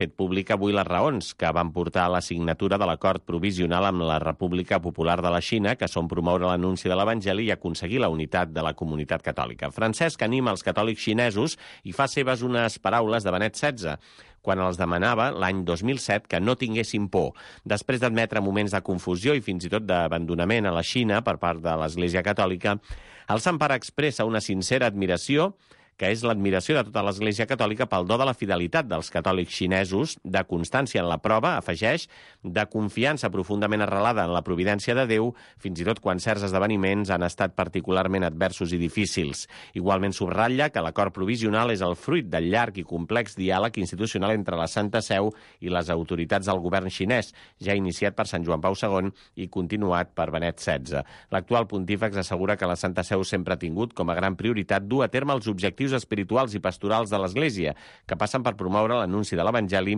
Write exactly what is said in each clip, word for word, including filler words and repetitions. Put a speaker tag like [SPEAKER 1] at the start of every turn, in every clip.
[SPEAKER 1] fet públic avui les raons que van portar a la signatura de l'acord provisional amb la República Popular de la Xina, que són promoure l'anunci de l'Evangeli i aconseguir la unitat de la comunitat catòlica. Francesc anima els catòlics xinesos i fa seves unes paraules de Benet setze, quan els demanava l'any dos mil set que no tinguessin por. Després d'admetre moments de confusió i fins i tot d'abandonament a la Xina per part de l'Església Catòlica, el Sant Pare expressa una sincera admiració, que és l'admiració de tota l'Església Catòlica pel do de la fidelitat dels catòlics xinesos, de constància en la prova, afegeix, de confiança profundament arrelada en la providència de Déu, fins i tot quan certs esdeveniments han estat particularment adversos i difícils. Igualment subratlla que l'acord provisional és el fruit del llarg i complex diàleg institucional entre la Santa Seu i les autoritats del govern xinès, ja iniciat per Sant Joan Pau segon i continuat per Benet setze. L'actual pontífex assegura que la Santa Seu sempre ha tingut com a gran prioritat dur a terme els objectius espirituals i pastorals de l'Església, que passen per promoure l'anunci de l'Evangeli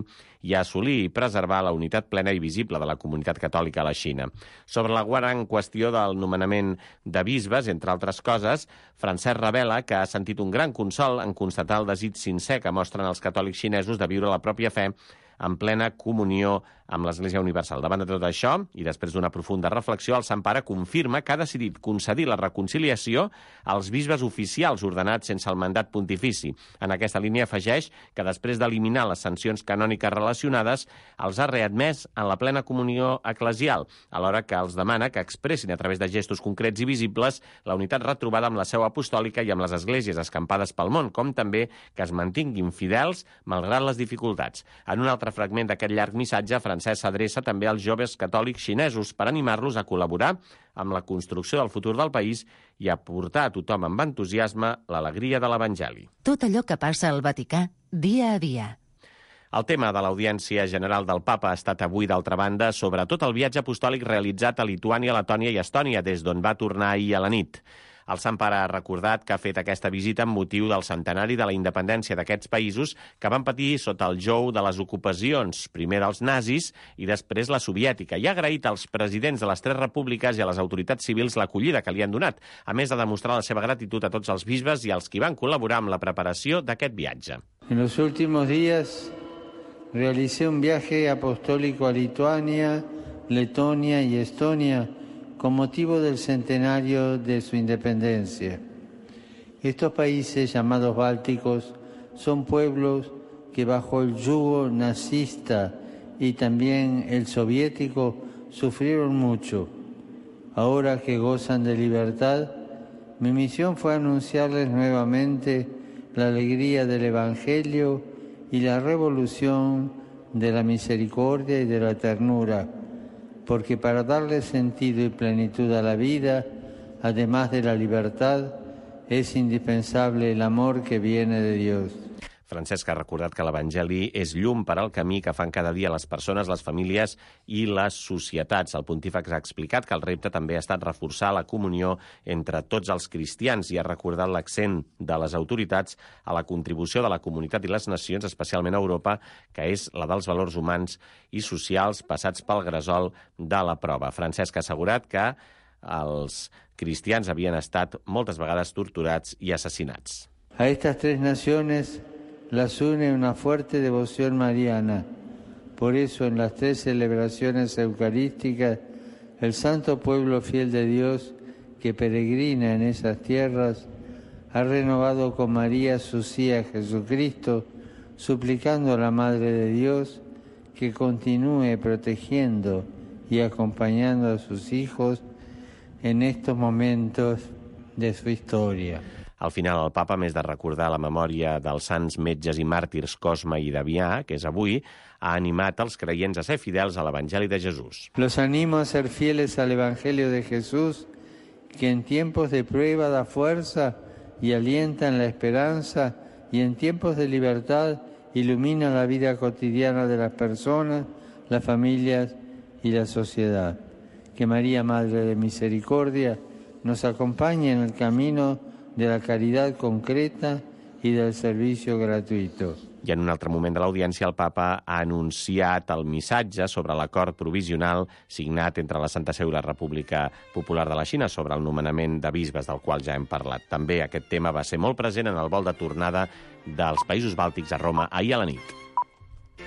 [SPEAKER 1] i assolir i preservar la unitat plena i visible de la comunitat catòlica a la Xina. Sobre la gran qüestió del nomenament de bisbes, entre altres coses, Francesc revela que ha sentit un gran consol en constatar el desig sincer que mostren els catòlics xinesos de viure la pròpia fe en plena comunió amb l'Església Universal. Davant de tot això, i després d'una profunda reflexió, el Sant Pare confirma que ha decidit concedir la reconciliació als bisbes oficials ordenats sense el mandat pontifici. En aquesta línia afegeix que després d'eliminar les sancions canòniques relacionades, els ha readmès en la plena comunió eclesial, alhora que els demana que expressin a través de gestos concrets i visibles la unitat retrobada amb la seu apostòlica i amb les esglésies escampades pel món, com també que es mantinguin fidels malgrat les dificultats. En un altre fragment d'aquest llarg missatge, Francesc s'adreça també als joves catòlics xinesos per animar-los a col·laborar amb la construcció del futur del país i a portar a tothom amb entusiasme l'alegria de l'Evangeli.
[SPEAKER 2] Tot allò que passa al Vaticà, dia a dia.
[SPEAKER 1] El tema de l'Audiència General del Papa ha estat avui, d'altra banda, sobretot el viatge apostòlic realitzat a Lituània, Letònia i Estònia, des d'on va tornar ahir a la nit. El Sant Pare ha recordat que ha fet aquesta visita amb motiu del centenari de la independència d'aquests països que van patir sota el jou de les ocupacions, primer dels nazis i després la soviètica, i ha agraït als presidents de les tres repúbliques i a les autoritats civils l'acollida que li han donat, a més de demostrar la seva gratitud a tots els bisbes i als qui van col·laborar amb la preparació d'aquest viatge.
[SPEAKER 3] En los últimos días realicé un viaje apostólico a Lituania, Letonia y Estonia con motivo del centenario de su independencia. Estos países llamados bálticos son pueblos que bajo el yugo nazista y también el soviético sufrieron mucho. Ahora que gozan de libertad, mi misión fue anunciarles nuevamente la alegría del Evangelio y la revolución de la misericordia y de la ternura, porque para darle sentido y plenitud a la vida, además de la libertad, es indispensable el amor que viene de Dios.
[SPEAKER 1] Francesc ha recordat que l'Evangeli és llum per al camí que fan cada dia les persones, les famílies i les societats. El pontífex ha explicat que el repte també ha estat reforçar la comunió entre tots els cristians i ha recordat l'accent de les autoritats a la contribució de la comunitat i les nacions, especialment a Europa, que és la dels valors humans i socials passats pel gresol de la prova. Francesc ha assegurat que els cristians havien estat moltes vegades torturats i assassinats.
[SPEAKER 3] A estas tres naciones las une una fuerte devoción mariana. Por eso, en las tres celebraciones eucarísticas, el santo pueblo fiel de Dios que peregrina en esas tierras ha renovado con María su sí a Jesucristo, suplicando a la Madre de Dios que continúe protegiendo y acompañando a sus hijos en estos momentos de su historia.
[SPEAKER 1] Al final, el papa, a més de recordar la memòria dels sants metges i màrtirs Cosme i Damià, que és avui, ha animat els creients a ser fidels a l'Evangeli de Jesús.
[SPEAKER 3] Los animo a ser fieles al Evangelio de Jesús, que en tiempos de prueba da fuerza y alienta en la esperanza, y en tiempos de libertad ilumina la vida cotidiana de las personas, las familias y la sociedad. Que María, Madre de Misericordia, nos acompañe en el camino de la caridad concreta y del servicio gratuito.
[SPEAKER 1] I en un altre moment de l'audiència, el papa ha anunciat el missatge sobre l'acord provisional signat entre la Santa Seu i la República Popular de la Xina sobre el nomenament de bisbes, del qual ja hem parlat. També aquest tema va ser molt present en el vol de tornada dels països bàltics a Roma ahir a la nit.